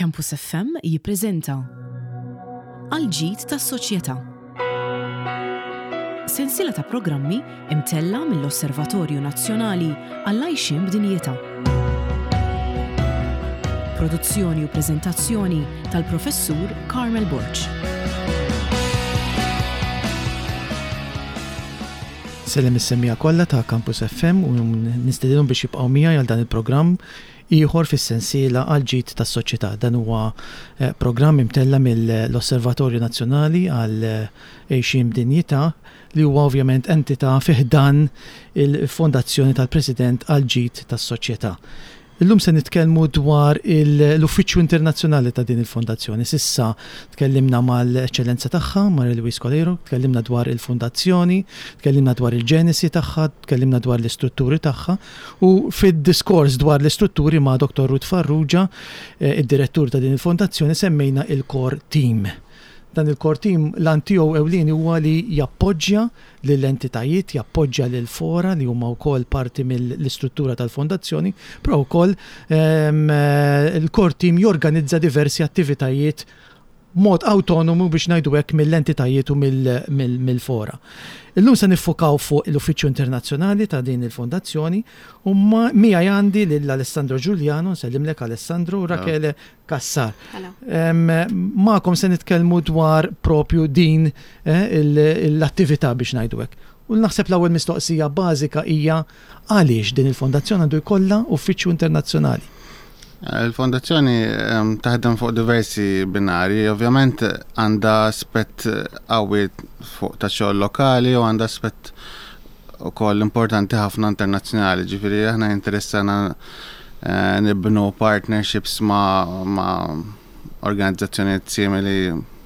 Campus FM jippreżenta Għall-ġid tas-soċjetà. Sensiela ta' programmi imtella' mill-Osservatorju Nazzjonali għall-Għajxien b'Dinjità. Produzzjoni u preżentazzjoni tal-Professur Carmel Borg. Sellem is-semmiegħa kollha ta' Campus FM u nistedinhom biex jibqgħu miegħi għal dan il-programm ieħor fis-sensiela għall-ġid tas-soċjetà. Dan huwa programm imtella' mill-Osservatorju Nazzjonali għal Għixien b'Dinjità li huwa ovvjament entità fi ħdan il-Fondazzjoni tal-President għall-Ġid tas-Soċjetà. Illum se nitkellmu dwar l-Uffiċċju Internazzjonali ta' din il-Fondazzjoni. S'issa tkellimna mal-Eċċellenza tagħha, Maria Louise Coleiro, tkellimna dwar il-Fondazzjoni, tkellimna dwar il-ġenesi tagħha, tkellimna dwar l-istrutturi tagħha u fid-diskors dwar l-istrutturi ma' Dottor Ruth Farrugia, id-Direttur ta' din il-Fondazzjoni, semmejna il-Core Team. Dan il-Core Team l-għan tiegħu ewlieni huwa li jappoġġja lill-entitajiet, jappoġġja lill-fora li huma wkoll parti mill-istruttura tal-Fondazzjoni, però wkoll il-Core Team jorganizza diversi attivitajiet b'mod awtonomu biex ngħidu hekk mill-entitajiet u mill-fora. Illum se niffukaw fuq l-Uffiċċju Internazzjonali ta' din il-Fondazzjoni u miegħi għandi lil Alessandro Giuliano, nsellimlek Alessandro, u Rachele Cassar. Magħkom se nitkellmu dwar propju din l-attività biex ngħidu hekk. U naħseb l-ewwel mistoqsija bażika hija għaliex din il-fondazzjoni għandu jkollha uffiċċju internazzjonali? Il-fondazzjoni taħdem fuq diversi binarji, ovvjament għandha aspett qawwi fuq ta' xogħol lokali u għandha aspett ukoll importanti ħafna internazzjonali, ġifieri aħna jinteressana nibnu partnerships ma', ma organizzazzjonijiet simili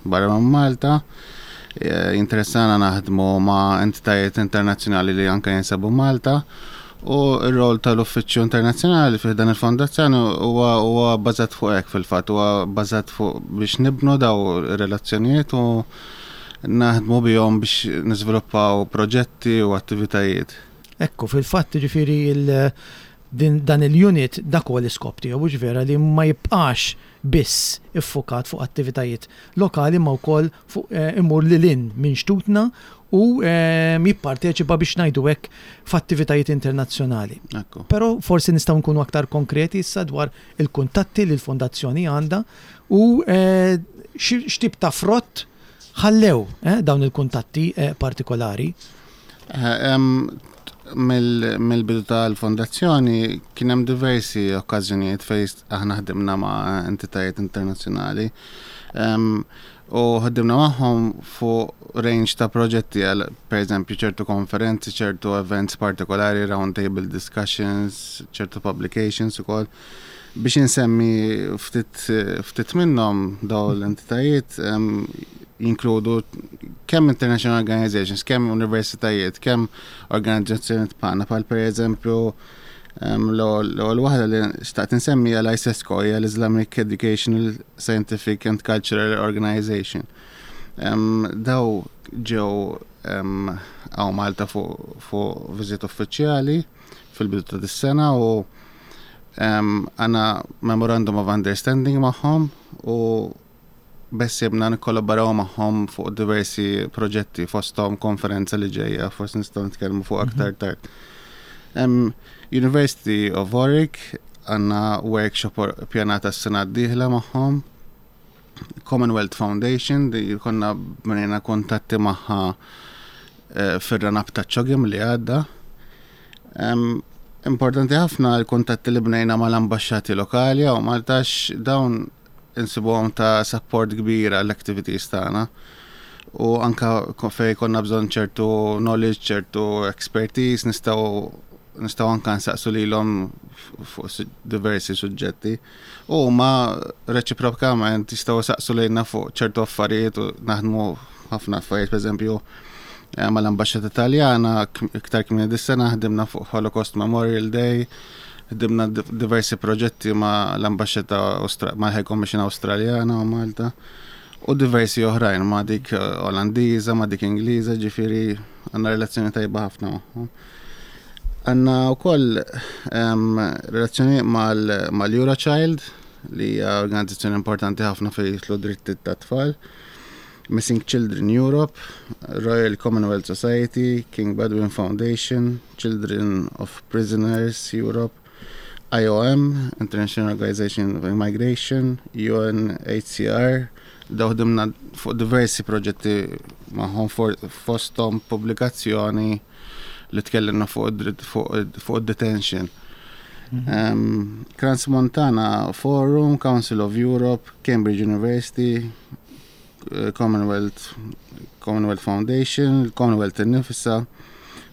barra minn Malta. Jinteressana naħdmu ma' entitajiet internazzjonali li anke jinsabu Malta. U r-rol tal-Uffiċċju Internazzjonali fih dan il-fondazzjoni huwa huwa bbażat fuq hekk fil-fatt, huwa bbażat fuq biex nibnu daw ir-relazzjonijiet u naħdmu bihom biex niżviluppaw proġetti u attivitajiet. Ekku, fil-fatt jiġifieri din dan il-unit dak huwa l-iskop tiegħu, hux vera li ma jibqax biss iffukat fuq attivitajiet lokali imma wkoll fuq imur lil hinn minn xtutna u jipparteċipa biex ngħidu hekk f'attivitajiet internazzjonali. Però forsi nistgħu nkunu aktar konkreti issa dwar il-kuntatti li l-fondazzjoni għandha u x'tip ta' frott ħallew dawn il-kuntatti partikolari. Mill-bidu tal-fondazzjoni kien hemm diversi okkażjonijiet fejn aħna ħdimna ma' entitajiet internazzjonali. U ħdimna magħhom fuq range ta' proġetti għal pereżempju ċertu konferenzi, ċertu events partikolari, round table discussions, ċertu publications ukoll. Biex insemmi ftit ftit minnhom dawn l-entitajiet jinkludu kemm international organizations, kemm universitajiet, kemm organizzazzjonijiet bħalna bħal pereżempju l-ewwel waħda li xtaqt insemmi hija l-ISESCO, hija l-Islamic Educational, Scientific and Cultural Organization. Daw ġew hawn Malta fuq viżit uffiċjali fil-bidu ta' dis-sena u għandna memorandum of understanding magħhom u beħsiebna nikkollaboraw magħhom fuq diversi proġetti fosthom konferenza li ġejja, forsi nistgħu nitkellmu fuq aktar mhm. tard. University of Warwick għandna workshop pjanata s-sena d-dieħla magħhom. Commonwealth Foundation li konna bnejna kuntatti magħha eh, fir-run-up ta' ċogim li għadda. Importanti ħafna l-kuntatti li bnejna mal-ambaxxati lokali għaw Maltax dawn insibuhom ta' support kbir għall-activities tagħna. U anka fej konna bżonn ċertu knowledge, ċertu expertise, nistgħu nistgħu anka nsaqsu lilhom fuq diversi suġġetti. U huma reċiprokament jistgħu saqsu lejna fuq ċertu affarijiet u naħdmu ħafna affarijiet, pereżempju eh, mal-Ambaxxata Taljana iktar kmieni dis-sena ħdimna fuq Holocaust Memorial Day, ħdimna diversi proġetti ma' l-Ambaxxata ma' High Commission Awstraljana u Malta u diversi oħrajn ma' dik eh, Olandiża, ma' dik Ingliża, ġifieri għandna relazzjoni tajba ħafna magħhom. Għandna wkoll relazzjoni mal-Eurochild. li hija organizzazzjoni importanti ħafna fejn jidħlu drittijiet tat-tfal, Missing Children Europe, Royal Commonwealth Society, King Bedouin Foundation, Children of Prisoners Europe, IOM, International Organization of Migration, UNHCR, daw ħdimna fuq diversi proġetti magħhom fosthom pubblikazzjoni li tkellimna fuq fuq detention. Crans Montana Forum, Council of Europe, Cambridge University, eh, Commonwealth, Commonwealth Foundation, Commonwealth innifisha,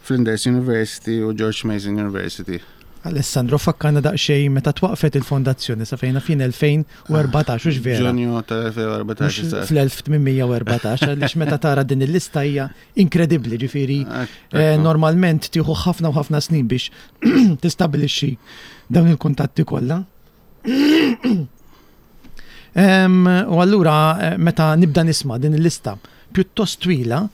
Flinders University u George Mason University. Alessandro, fakkarna daqsxejn meta twaqfet il-fondazzjoni sa fejna fin 2014, hux vera? Ġunju tal-2014. Fl-1814, għaliex meta tara din il-lista hija inkredibbli, ġifieri eh, normalment tieħu ħafna u ħafna snin biex tistabilixxi dawn il-kuntatti kollha. U allura eh, meta nibda nisma' din il-lista pjuttost twila,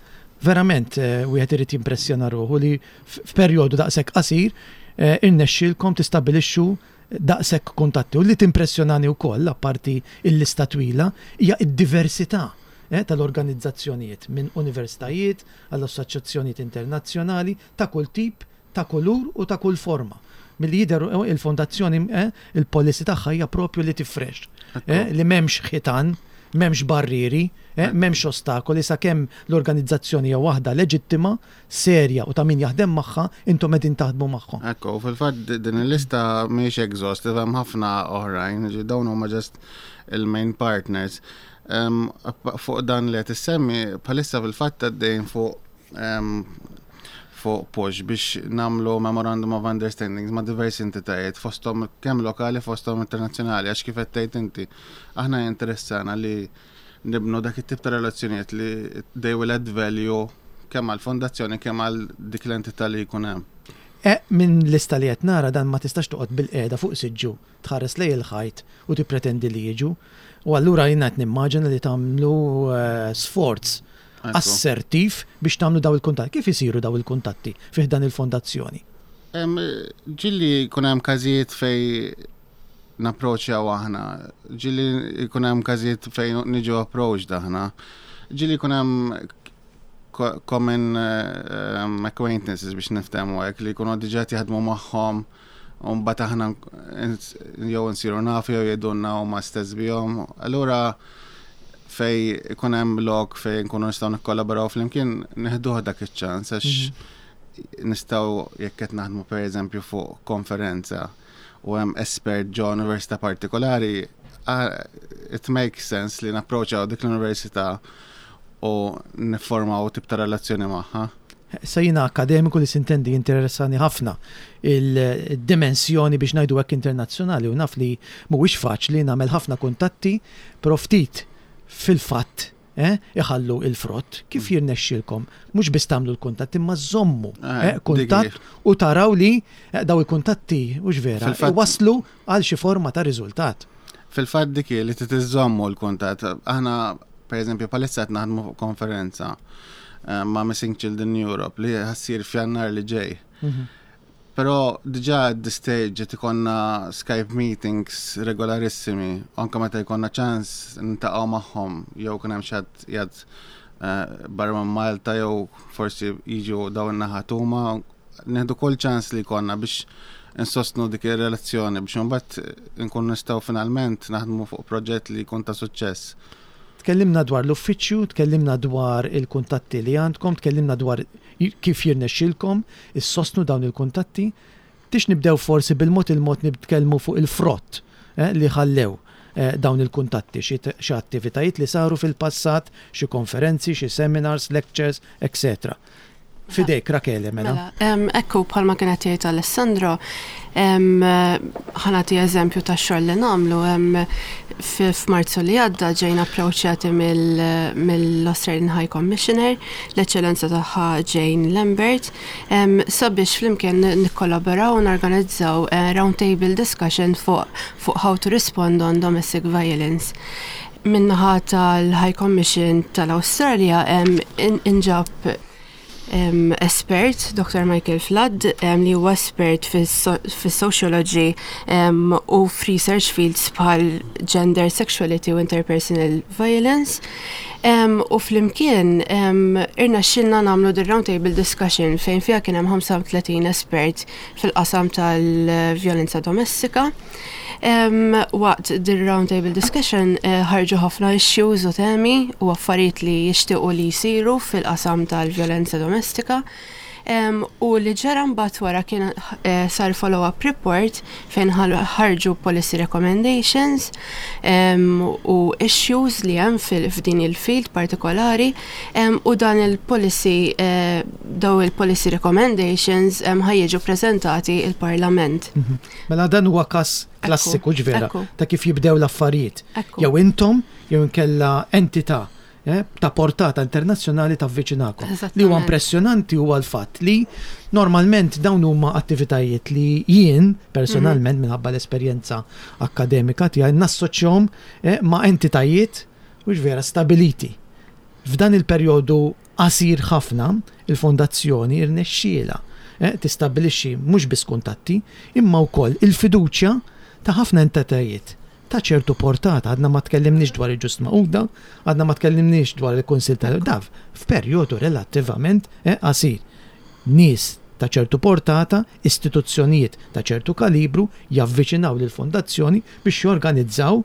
verament eh, wieħed irid jimpressjona ruħu li f'perjodu daqshekk qasir eh, irnexxielkom tistabilixxu daqshekk kuntatti. U li timpressjonani wkoll, apparti il-lista twila, hija d-diversità tal-organizzazzjonijiet minn universitajiet għal assoċjazzjonijiet internazzjonali ta' kull tip ta' kulur u ta' kull forma. Milli jidher il-fondazzjoni il-policy tagħha hija propju li tifrex, li m'hemmx ħitan, m'hemmx barrieri, m'hemmx ostakoli sakemm l-organizzazzjoni hija waħda leġittima, serja u ta' min jaħdem magħha, intom qegħdin taħdmu magħhom. Ekku, u fil-fatt din il-lista mhijiex exhaustive, hemm ħafna oħrajn, ġifieri dawn huma just il-main partners. Fuq dan li qed issemmi, bħalissa fil-fatt għaddejn fuq fuq push biex namlu memorandum of understandings ma' diversi entitajiet fosthom kemm lokali fosthom internazzjonali għax kif qed tgħid inti aħna jinteressana li nibnu dak it-tip ta' relazzjonijiet li they will add value kemm għall-fondazzjoni kemm għal dik l-entità li jkun hemm. E, minn lista li qed nara dan ma tistax toqgħod bil-qiegħda fuq siġġu tħares lejn il-ħajt u tippretendi li jiġu. U allura jiena qed nimmaġina li tagħmlu eh, sforz assertiv biex tagħmlu daw il-kuntatti. Kif isiru daw il-kuntatti fih dan il-fondazzjoni? Ġilli jkun hemm każijiet fej napproċċjaw aħna, ġilli jkun hemm każijiet fejn niġu approached aħna, ġilli jkun hemm common acquaintances biex niftehmu hekk li jkunu diġà jaħdmu magħhom u mbagħad aħna jew nsiru nafu jew jgħidulna huma stess bihom. Allura fej ikun hemm lok fej nkunu nistgħu nikkollaboraw flimkien neħduh dak iċ-ċans għax mhm. nistgħu jekk qed naħdmu pereżempju fuq konferenza u hemm espert ġo università partikolari, it makes sense li napproċċaw dik l-università u niformaw tip ta' relazzjoni magħha. Issa jiena akkademiku li sintendi jinteressani ħafna il-dimensjoni biex ngħidu hekk internazzjonali u naf li mhuwiex faċli nagħmel ħafna kuntatti però ftit fil-fatt eh, iħallu il-frott. Kif mm. jirnexxilkom mhux biss tagħmlu l-kuntatt imma żommu eh, eh, kuntatt u taraw li eh, daw il-kuntatti mhux vera waslu għal xi forma ta' riżultat. Fil-fatt dik li titiżommu l-kuntatt. Aħna pereżempju bħalissa qed naħdmu fuq konferenza eh, ma' Missing Children Europe li ħassir f'Jannar li ġej. Mhm. Però diġà at this stage qed ikonna Skype meetings regolarissimi, anke meta jkollna ċans nintaqgħu magħhom jew kien hemm xi ħadd qiegħed eh, barra minn Malta jew forsi jiġu dawn in-naħat huma Nieħdu kull ċans li jkollna biex insostnu dik ir-relazzjoni biex imbagħad inkunu nistgħu finalment naħdmu fuq proġett li jkun ta' suċċess. Tkellimna dwar l-uffiċċju, tkellimna dwar il-kuntatti li għandkom, tkellimna dwar kif jirnexxilkom issostnu dawn il-kuntatti. Tix nibdew forsi bil-mod il-mod nitkellmu fuq il-frott eh, li ħallew eh, dawn il-kuntatti, xi attivitajiet li saru fil-passat, xi konferenzi, xi seminars, lectures, etc. Fidejk, Rakele, mela. Mela, ekku, bħalma kien qed jgħid Alessandro, ħa nagħti eżempju tax-xogħol li nagħmlu. F'Marzu li għadda ġejna approċċjati mill-Australian High Commissioner, l-Eċċellenza tagħha Jane Lambert, sabiex flimkien nikkollaboraw u norganizzaw eh, round table discussion fuq how to respond on domestic violence. Min-naħa tal-High Commission tal-Awstralja inġab espert, Dr. Michael Flood, li huwa espert fis-sociology u f'research fields bħal gender, sexuality u interpersonal violence. U flimkien irnexxilna nagħmlu the roundtable discussion fejn fiha kien hemm 35 espert fil-qasam tal-vjolenza domestika. Waqt the roundtable discussion eh, ħarġu ħafna issues u temi u affarijiet li jixtiequ li jsiru fil-qasam tal-vjolenza domestika. U li ġara mbagħad wara kien eh, sar follow-up report fejn ħarġu policy recommendations u issues li hemm f'din il-field partikolari u dan il-policy eh, daw il-policy recommendations ħajjiġu prezentati il-Parlament. Mhm. Mela dan huwa każ klassiku ġvera ta' kif jibdew l-affarijiet. Jew intom jew inkella entità eh, ta' portata internazzjonali tavviċinakom. Li huwa impressjonanti huwa l-fatt li normalment dawn huma attivitajiet li jien personalment mhm. minħabba l-esperjenza akkademika tiegħi nassoċjahom eh, ma' entitajiet u vera stabiliti. F'dan il-perjodu qasir ħafna, il-Fondazzjoni rnexxielha tistabbilixxi mhux biss kuntatti, imma wkoll il-fiduċja ta' ħafna entitajiet ta' ċertu portata. Għadna ma tkellimniex dwar il-Ġust Magħquda, għadna ma tkellimniex dwar il-Kunsill ta' DAV, f'perjodu relattivament qasir. Nies ta' ċertu portata, istituzzjonijiet ta' ċertu kalibru javviċinaw lill-Fondazzjoni biex jorganizzaw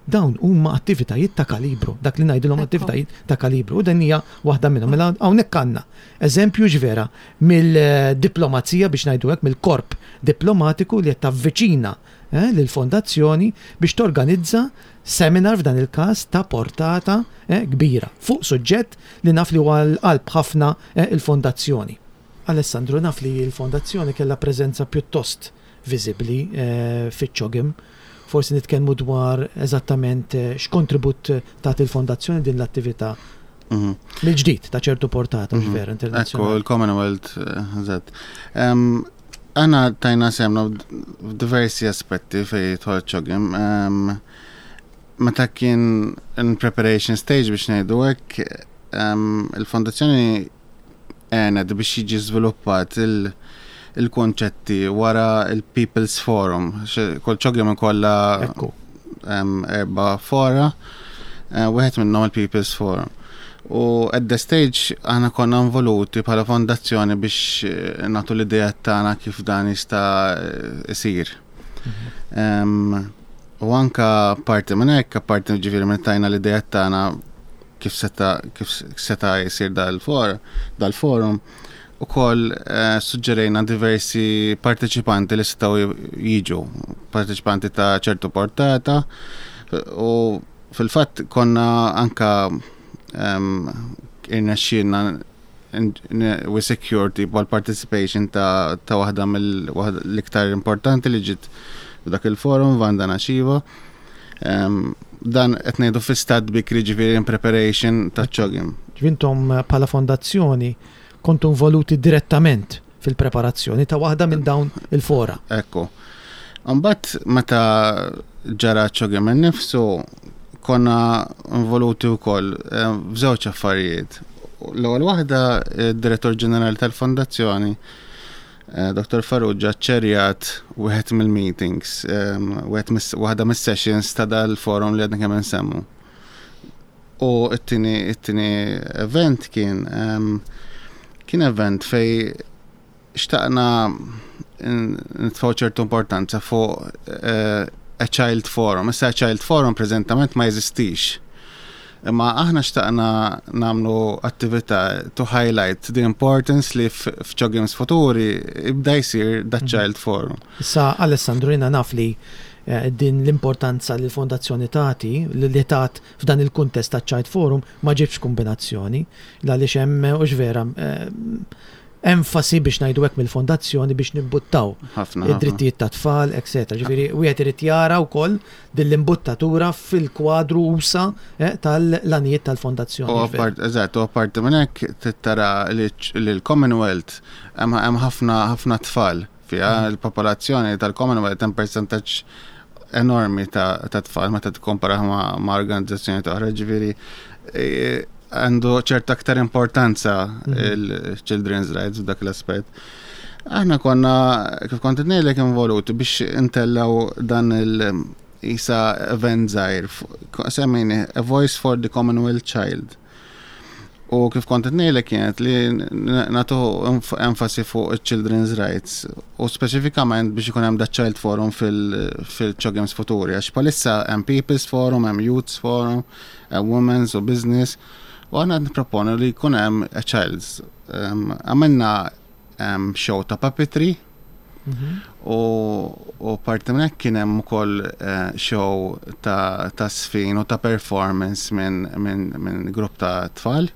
Dawn huma attivitajiet ta' kalibru, dak li ngħidilhom attivitajiet ta' kalibru, u din hija waħda minnhom. Mela hawnhekk għandna eżempju x'vera mill-diplomazija biex ngħidu hekk, mill-korp diplomatiku li qed tavviċina eh, lill-fondazzjoni biex torganizza seminar f'dan il-każ ta' portata eh, kbira fuq suġġett li naf li huwa l-qalb ħafna eh, il-fondazzjoni. Alessandro, naf li l-fondazzjoni kellha preżenza pjuttost viżibbli fiċ-CHOGM. Forsi nitkellmu dwar eżattament x'kontribut tat il-Fondazzjoni din l-attività mhm. mill-ġdid ta' ċertu portata mhm. vera internazzjonali. Ekku, il-Commonwealth, eh, eżatt. Għana tajna semna f'diversi aspetti fej tħol ċogim. Meta kien in preparation stage biex ngħidu hekk, il-fondazzjoni għenet biex jiġi żviluppat il-konċetti wara il-People's Forum. Kull ċogjem ikollha erba' fora, eh, wieħed minnhom il-People's Forum. U at the stage aħna konna involuti bħala fondazzjoni biex eh, nagħtu l-idea tagħna kif dan jista' isir. Mhm. U anka parti minn hekk, parti ġifieri minn tajna l-idea tagħna kif seta' kif seta' jsir dal-for, dal-forum, ukoll eh, suġġerejna diversi parteċipanti li setgħu jiġu, parteċipanti ta' ċertu portata u fil-fatt konna anka um, irnexxielna we secured tipo l-participation ta', ta waħda mill-iktar importanti li ġiet dak il-forum, Vanda Nashiva. Um, dan qed ngħidu fi stat bikri ġifieri in preparation ta' ċogim. Ġvintom eh, bħala fondazzjoni kontu involuti direttament fil-preparazzjoni ta' waħda minn dawn il-fora. Ekku. Mbagħad meta ġara ċogim innifsu konna involuti wkoll eh, f'żewġ affarijiet. L-ewwel waħda id-Direttur Ġenerali tal-Fondazzjoni Eh, Dr. Farrugia ċerjat wieħed mill-meetings, ehm, waħda mis-sessions ta' dal-forum li għadna kemm nsemmu. U it-tieni event kien ehm, kien event fej xtaqna nitfaw ċertu importanza fuq eh, a child forum. Issa a child forum preżentament ma jeżistix. Imma aħna xtaqna nagħmlu attività to highlight the importance li f'CHOGMs futuri ibda jsir that mhm. child forum. Issa Alessandro jiena naf li eh, din l-importanza li l-fondazzjoni tagħti li tat f'dan il-kuntest ta' Child Forum ma ġibx kombinazzjoni għaliex hemm eh, hux vera eh, enfasi biex ngħidu hekk mill-fondazzjoni biex nimbuttaw id-drittijiet ta' tfal, etc. Ġifieri wieħed irid jara wkoll din l-imbuttatura fil-kwadru usa eh, tal-għanijiet tal-fondazzjoni. Eżatt, u apparti minn hekk tara li l-Commonwealth hemm ħafna ħafna tfal fiha mm. il-popolazzjoni tal-Commonwealth hemm percentaġġ enormi ta' tfal meta tikkompara ma' organizzazzjoni oħra, ġifieri eh, għandu ċerta aktar importanza il-children's rights f'dak l-aspett. Aħna konna, kif kont ngħidlek involuti biex intellaw dan il- isa event żgħir, semmejni A Voice for the Commonwealth Child. U kif kont qed ngħidlek kienet li nagħtu enfasi fuq il-children's rights u speċifikament biex ikun hemm da Child Forum fil-CHOGMs futuri għax bħalissa hemm People's Forum, hemm Youth's Forum, hemm Women's u Business u aħna nipproponu li jkun hemm a Child's. Għamilna show ta' puppetry u parti minn hekk kien hemm ukoll show ta' żfin u ta' performance minn grupp ta' tfal.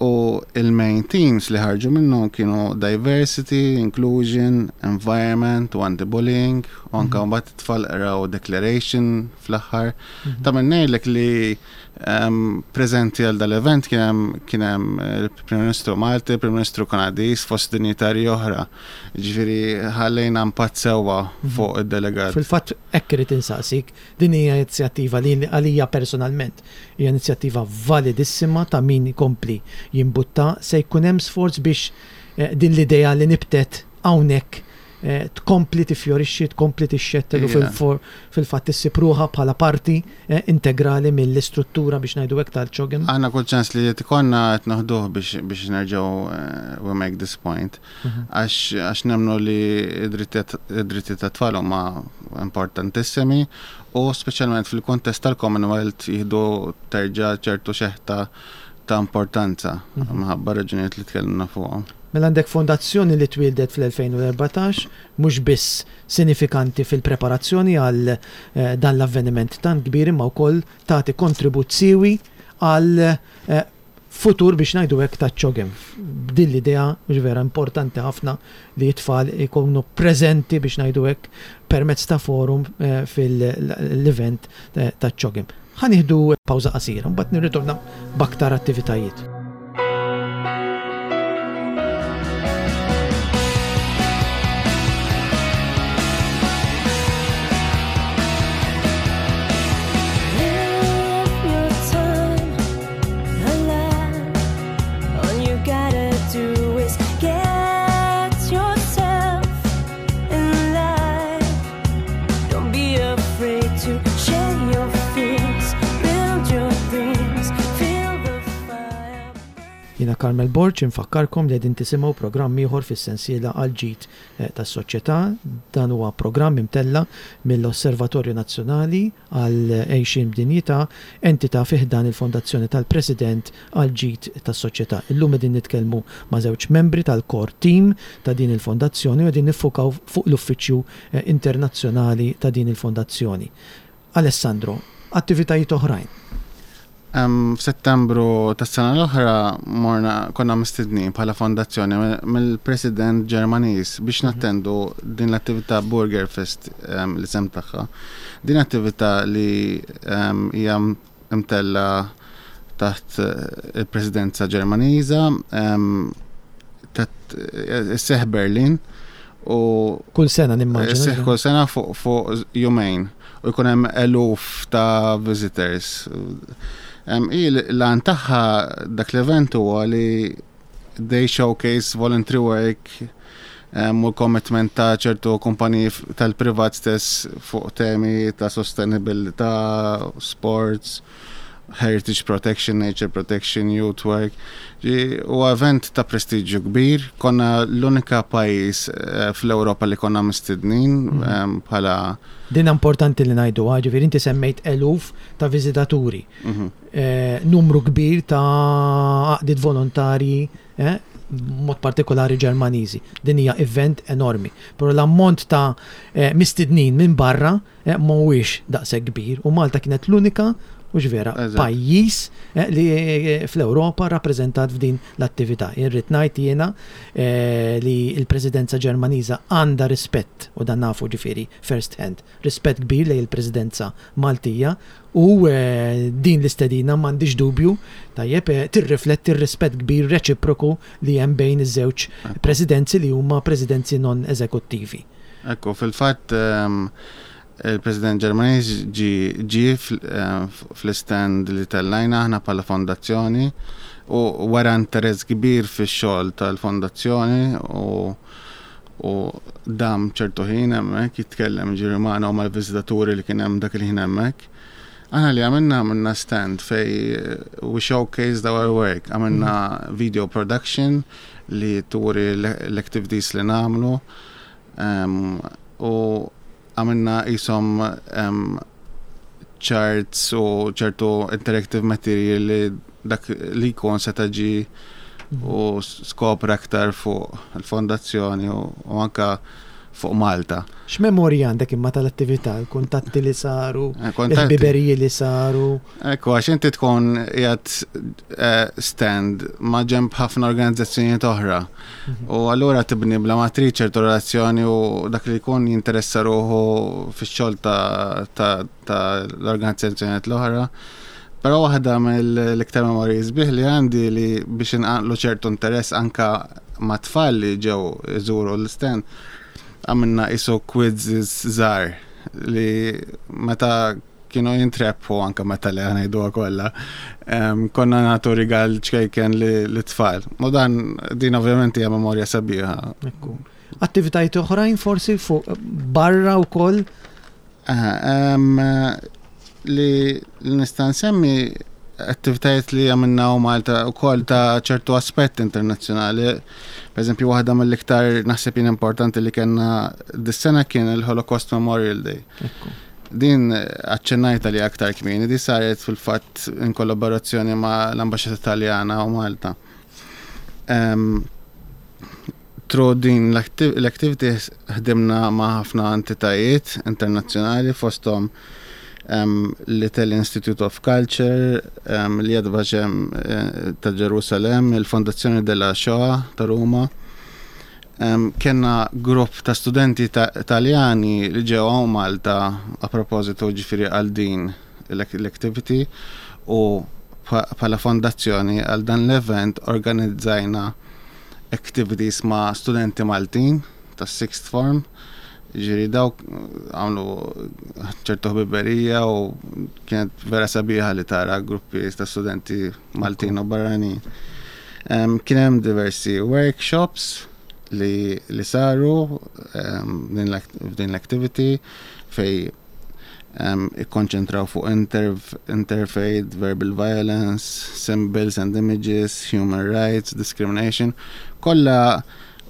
U il-main themes li ħarġu minnhom kienu diversity, inclusion, environment u anti-bullying, u anke mbagħad it-tfal qraw declaration fl-aħħar. Ta' min ngħidlek li preżenti għal dal-event kien hemm il-Prim Ministru Malti, il-Prim Ministru Kanadiż, fost dinjitarji oħra. Ġifieri ħallejna impatt sewwa fuq id-delegat. Fil-fatt hekk irid insaqsik, din hija inizjattiva li għalija personalment hija inizjattiva validissima ta' min ikompli jimbutta, se jkun hemm sforz biex din l-idea li nibtet hawnhekk tkompli tifjorixxi, tkompli tixxettel u fil-fatt issib ruħha bħala parti integrali mill-istruttura biex ngħidu hekk tal-CHOGM. Aħna kull ċans li qed ikollna qed noħduh biex nerġgħu we make this point. Għax nemmnu li id-drittijiet tat-tfal huma importantissimi u speċjalment fil-kuntest tal-Commonwealth jieħdu terġa' ċertu xeħta ta' importanza minħabba raġunijiet li tkellimna fuqhom. Mela għandek fondazzjoni li twieldet fl-2014, mhux biss sinifikanti fil-preparazzjoni għal dan l-avveniment tant kbir imma wkoll tagħti kontribut siewi għal futur biex ngħidu hekk ta' CHOGM. B'din l-idea mhux vera importanti ħafna li t-tfal ikunu preżenti biex ngħidu hekk permezz ta' forum fil-event ta' CHOGM. Ħa nieħdu pawża qasira, mbagħad nirritorna b'aktar attivitajiet. Jiena Carmel Borg infakkarkom li qegħdin tisimgħu programm ieħor fis-sensiela għall-ġid tas-soċjetà. Dan huwa programm imtella' mill-Osservatorju Nazzjonali għal Għejxien b'Dinjità, entità fi ħdan il-Fondazzjoni tal-President għall-Ġid tas-Soċjetà. Illum qegħdin nitkellmu ma' żewġ membri tal-core team ta' din il-fondazzjoni u qegħdin niffukaw fuq l-uffiċċju internazzjonali ta' din il-fondazzjoni. Alessandro, attivitajiet oħrajn? F'Settembru tas-sena l-oħra morna konna mistednin bħala fondazzjoni mill-President Ġermaniż biex nattendu din l-attività Burger Fest l-isem tagħha. Din attività li hija mtella taħt il-Presidenza Ġermaniża isseħħ Berlin u kull sena nimmaġina. Isseħħ kull sena fuq jumejn u jkun hemm eluf ta' visitors. Hi l-għan tagħha dak l-event huwa li they showcase voluntary work u l-commitment ta' ċertu kumpaniji tal-privat stess fuq temi ta' sostenibilità, sports, heritage protection, nature protection, youth work. U event ta' prestiġju kbir, konna l-unika pajjiż fl-Ewropa li konna mistednin bħala. Din importanti li ngħidu, ġifieri inti semmejt eluf ta' viżitaturi, numru kbir ta' għaqdiet volontarji, mod partikolari Ġermaniżi. Din hija event enormi. Però l-ammont ta' mistednin minn barra mhuwiex daqshekk kbir u Malta kienet l-unika mhux vera pajjiż li fl-Ewropa rappreżentat f'din l-attività. Irrid ngħid jiena li l-Presidenza Ġermaniża għandha rispett u dan nafu ġifieri first hand, rispett kbir lejn il-Presidenza Maltija u din l-istedina m'għandix dubju tajjeb tirrifletti r-rispett kbir reċiproku li hemm bejn iż-żewġ presidenzi li huma presidenzi non eżekuttivi. Ekku, fil-fatt Il-President Ġermaniż ġie fl-istand li tellajna aħna bħala fondazzjoni u wera interess kbir fix-xogħol tal-fondazzjoni u u dam ċertu ħin hemmhekk jitkellem ġifieri magħna u mal-viżitaturi li kien hemm dak il-ħin hemmhekk. Aħna li għamilna għamilna stand fej we showcased our work, għamilna video production li turi l-activities li nagħmlu u għamilna qishom charts u ċertu interactive material li dak li jkun seta' ġie u skopra aktar fuq il-fondazzjoni u anka fuq Malta. X'memorji għandek imma tal-attività, il-kuntatti li saru, il-ħbiberiji li saru? Ekku, għax inti tkun qiegħed stand ma' ġenb ħafna organizzazzjonijiet oħra. U allura tibni bla ma trid ċertu relazzjoni u dak li jkun jinteressa ruħu fix-xogħol ta' l-organizzazzjonijiet l-oħra. Però waħda mill-iktar memorji sbieħ li għandi li biex inqanqlu ċertu interess anka ma' tfal li ġew iżuru l-stand, għamilna qisu quizzes żgħar li meta kienu jintrebħu anka meta li ngħiduha kollha, konna nagħtu rigal ċkejken lit-tfal. U dan din ovvjament hija memorja sabiħa. Ekku. Attivitajiet oħrajn forsi fuq barra wkoll? Li nista' nsemmi attivitajiet li għamilna u Malta u koll ta' ċertu aspett internazzjonali. Per eżempju, waħda mill-iktar naħseb jien importanti li kellna dis-sena kien il-Holocaust Memorial Day. Din aċċennajta li aktar kmieni, di saret fil-fatt in kollaborazzjoni ma' l-Ambaxxata Taljana u Malta. Through din l-activity ħdimna ma' ħafna entitajiet internazzjonali fosthom l-Italian Institute of Culture, l-Yad Vashem ta' Ġerusalem, il-Fondazzjoni della Shoah ta' Ruma. Kellna grupp ta' studenti Taljani li ġew hawn Malta a propositu ġifieri għal din l-activity u bħala fondazzjoni għal dan l-event organizzajna activities ma' studenti Maltin tas-sixth form. Ġifieri dawk għamlu ċertu ħbiberija u kienet vera sabiħa li tara gruppi ta' studenti Maltin u barranin. Kien hemm diversi workshops li, li saru f'din l-activity fej ikkonċentraw fuq interfaith, verbal violence, symbols and images, human rights, discrimination. Kollha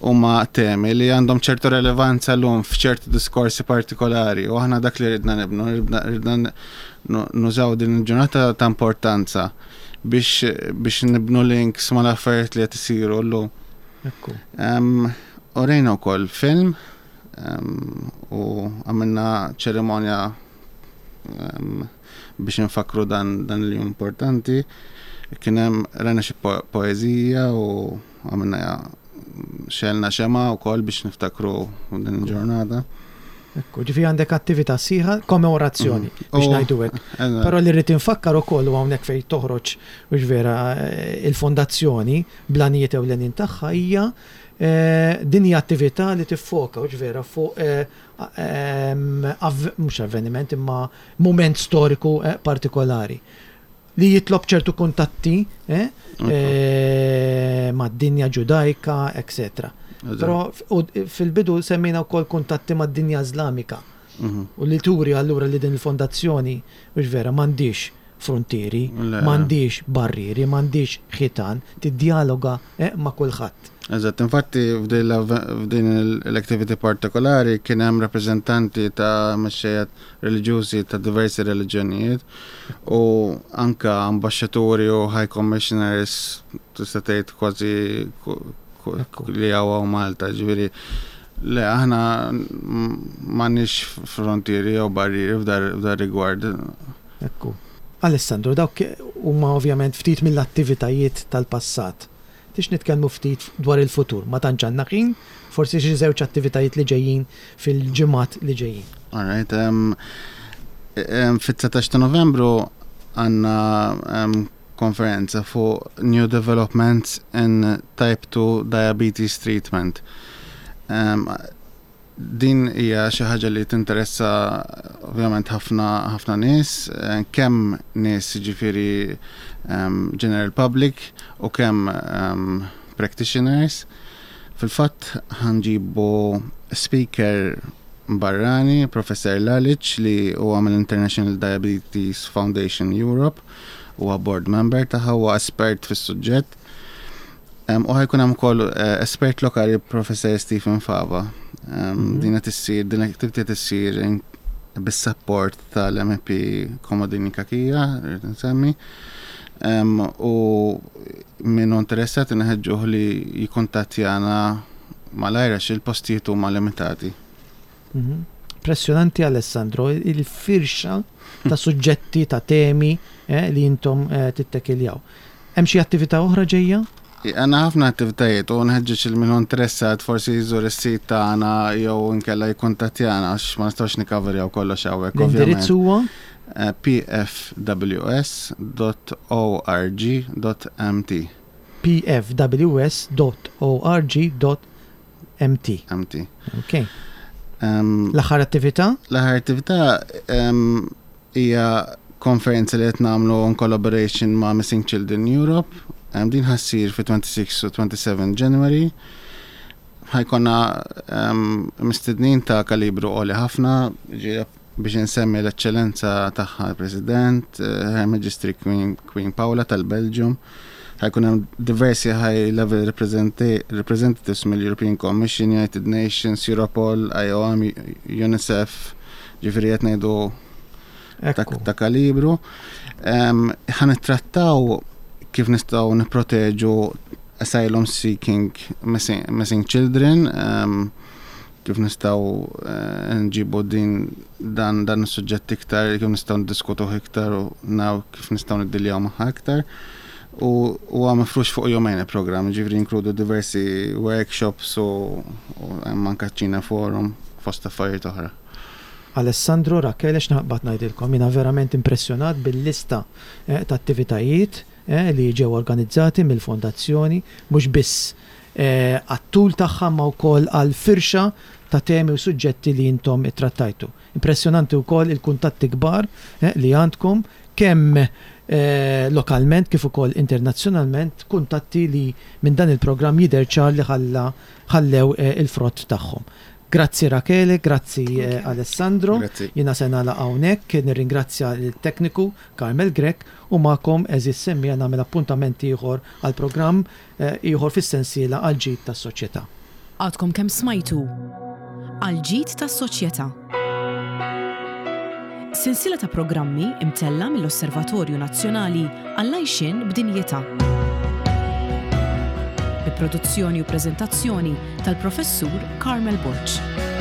huma temi li għandhom ċertu relevanza llum f'ċertu diskorsi partikolari u aħna dak li ridna nibnu, ridna nużaw din il-ġurnata ta' importanza biex, biex nibnu links mal-affarijiet li qed isiru llum. Ekku. Urejna wkoll film u għamilna ċerimonja biex nfakru dan, dan il-jum importanti. Kien hemm rajna xi poeżija u għamilna xelna xema wkoll biex niftakru din il-ġurnata. Ekku, ġifi għandek attività sħiħa, kommemorazzjoni, mm. biex ngħidu hekk. Però li rrid infakkar ukoll u hawnhekk fejn toħroġ biex vera eh, il-fondazzjoni blanijiet ewlenin tagħha hija eh, din hija attività li tiffoka u vera fuq eh, mhux avveniment imma mument storiku partikolari li jitlob ċertu kuntatti eh, eh, mad-dinja ġudajka, etc. Però fil-bidu semmejna wkoll kuntatti mad-dinja Iżlamika. Mhm. U li turi allura li din il-fondazzjoni, mhux vera, m'għandix frontieri, m'għandix barrieri, m'għandix ħitan, tiddialoga eh, ma' kulħadd. Eżatt, infatti f'din l-activity partikolari kien hemm rappreżentanti ta' mexxejja reliġjużi ta' diversi reliġjonijiet u anka ambaxxaturi u high commissioners tista' tgħid kważi li hawn Malta, ġifieri le aħna m'għandniex frontieri jew barrieri f'dar rigward. Ekku. Alessandro, dawk huma ovvjament ftit mill-attivitajiet tal-passat. Tix nitkellmu ftit dwar il-futur, ma tantx għandna ħin, forsi xi żewġ attivitajiet li ġejjin fil-ġimgħat li ġejjin. All right. Um, um, Fit-19 ta' Novembru għandna um, konferenza fuq New Developments in Type 2 Diabetes Treatment. Um, Din hija xi ħaġa li tinteressa ovvjament ħafna ħafna nies, eh, kemm nies jiġifieri ehm, general public u kemm ehm, practitioners. Fil-fatt ħanġibu speaker barrani, Professor Lalic li huwa mill-International Diabetes Foundation Europe, huwa board member tagħha huwa espert fis-suġġett. U ħajkun hemm ukoll eh, espert lokali Professor Stephen Fava. Mhm. Din qed issir, din l-activity qed issir bis-support tal-MP Komodini Kakija, rrid nsemmi. U min hu interessat inħeġġuh li jikkuntattjana malajr għax il-postijiet huma limitati. Mhm. Impressjonanti Alessandro, il-firxa ta' suġġetti, ta' temi eh, li intom eh, tittekiljaw. Hemm xi attività oħra ġejja? Għandna ħafna attivitajiet u nħeġġeġ il min hu interessat forsi jżur is-sit tagħna jew inkella jikkuntattjana għax ma nistgħux nikkaverjaw kollox hawnhekk. L-indirizz huwa? Eh, pfws.org.mt pfws.org.mt MT. Ok. L-aħħar attività? L-aħħar attività hija konferenza li qed nagħmlu in collaboration ma' Missing Children Europe. Din ħa ssir fi 26 u 27 January. Ħa jkollna mistednin ta' kalibru għoli ħafna, biex insemmi l-Eċċellenza Tagħha l-President, eh, Her Majesty Queen, Queen Paola tal-Belgium. Ħa jkun hemm diversi high level representatives mill-European Commission, United Nations, Europol, IOM, UNICEF, ġifieri qed ngħidu ta' kalibru. Ħa nittrattaw kif nistgħu nipproteġu asylum seeking missing, missing children, um, kif nistgħu eh, nġibu din dan dan is-suġġett iktar, kif nistgħu niddiskutuh iktar u naw kif nistgħu niddiljaw magħha iktar. U huwa mifrux fuq jumejn il-programm, ġifieri jinkludu diversi workshops u hemm anke ċina forum fost affarijiet oħra. Alessandro, Rachele, x'naqbad ngħidilkom, jiena verament impressjonat bil-lista eh, ta' attivitajiet eh, li ġew organizzati mill-Fondazzjoni, mhux biss eh, għat-tul tagħha imma wkoll għall-firxa ta' temi u suġġetti li intom ittrattajtu. Impressjonanti wkoll il-kuntatti kbar li għandkom kemm lokalment kif ukoll internazzjonalment, kuntatti li minn dan il-programm jidher ċar li ħalla ħallew il-frott tagħhom. Grazzi Rachele, grazzi Alessandro. Jiena se nagħlaq hawnhekk, nirringrazzja lit-tekniku Carmel Grech u magħkom għeżież semmiegħa nagħmel appuntament ieħor għal programm ieħor fis-sensiela Għall-Ġid tas-Soċjetà. Għadkom kemm smajtu Għall-Ġid tas-Soċjetà. Sensiela ta' programmi imtella' mill-Osservatorju Nazzjonali għall-Għajxien b'Dinjità. Bi produzzjoni u preżentazzjoni tal-Professur Carmel Borg.